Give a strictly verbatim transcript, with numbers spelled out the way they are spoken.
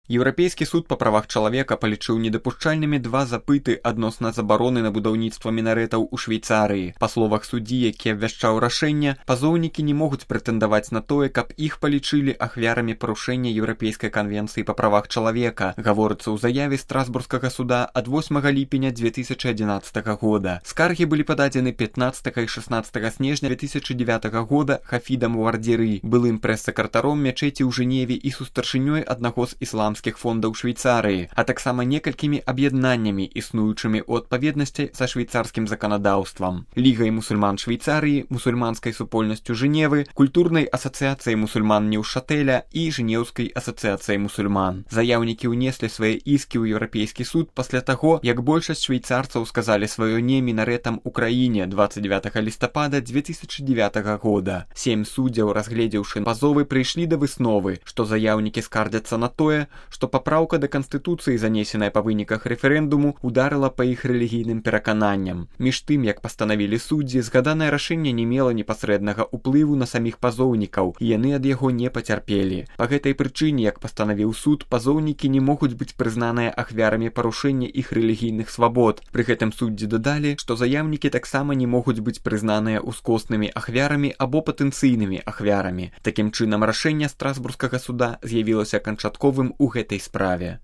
Еўрапейскі суд па правах чалавека палічыў недапушчальнымі два запыты адносна забароны на будаўніцтва мінарэтаў у Швейцарыі. Па словах суддзі, які абвяшчаў рашэнне, пазоўнікі не могуць прэтэндаваць на тое, каб іх палічылі ахвярамі парушэння Еўрапейскай канвенцыі па правах чалавека, гаворыцца ў заяве страсбургскага суда ад восьмага ліпеня дзве тысячы адзінаццатага года. Скаргі былі пададзены пятнаццатага і шаснаццатага снежня две тысячы дзевятага года Хафідам Вардзіры, былым прэс-сакратаром мячэці ў Жэневе і сустаршынёй аднаго з ісламскіх фондаў Швейцарыі, а таксама некалькімі аб'яднаннямі, існуючымі ў адпаведнасці са швейцарскім заканадаўствам. Лігай мусульман Швейцарыі, мусульманскай супольнасцю Жэневы, культурнай асацыяцыяй мусульман Неўшатэля і Жэнеўскай асацыяцыяй мусульман. Заяўнікі ўнеслі свае іскі ў Еўрапейскі суд пасля таго, як большасць швейцарцаў сказалі сваё не мінарэтам у краіне дваццаць дзевятага лістапада дзве тысячы дзевятага года. Сем суддзяў, разгледзеўшы пазовы, прыйшлі да высновы, што заяўнікі скардзяцца на тое, што папраўка да Канстытуцыі, занесеная па выніках рэферэндуму, ударыла па іх рэлігійным перакананням. Між тым, як пастанавілі суддзі, згаданае рашэнне не мела непасрэднага ўплыву на саміх пазоўнікаў, і яны ад яго не пацярпелі. Па гэтай прычыне, як пастанавіў суд, пазоўнікі не могуць быць прызнаныя ахвярамі парушэння іх рэлігійных свабод. Пры гэтым суддзі дадалі, што заяўнікі таксама не могуць быць прызнаныя ускоснымі ахвярамі або патэнцыйнымі ахвярамі. Такім чынам, рашэнне страсбургскага суда з'явілася канчатковым у гэтай справе.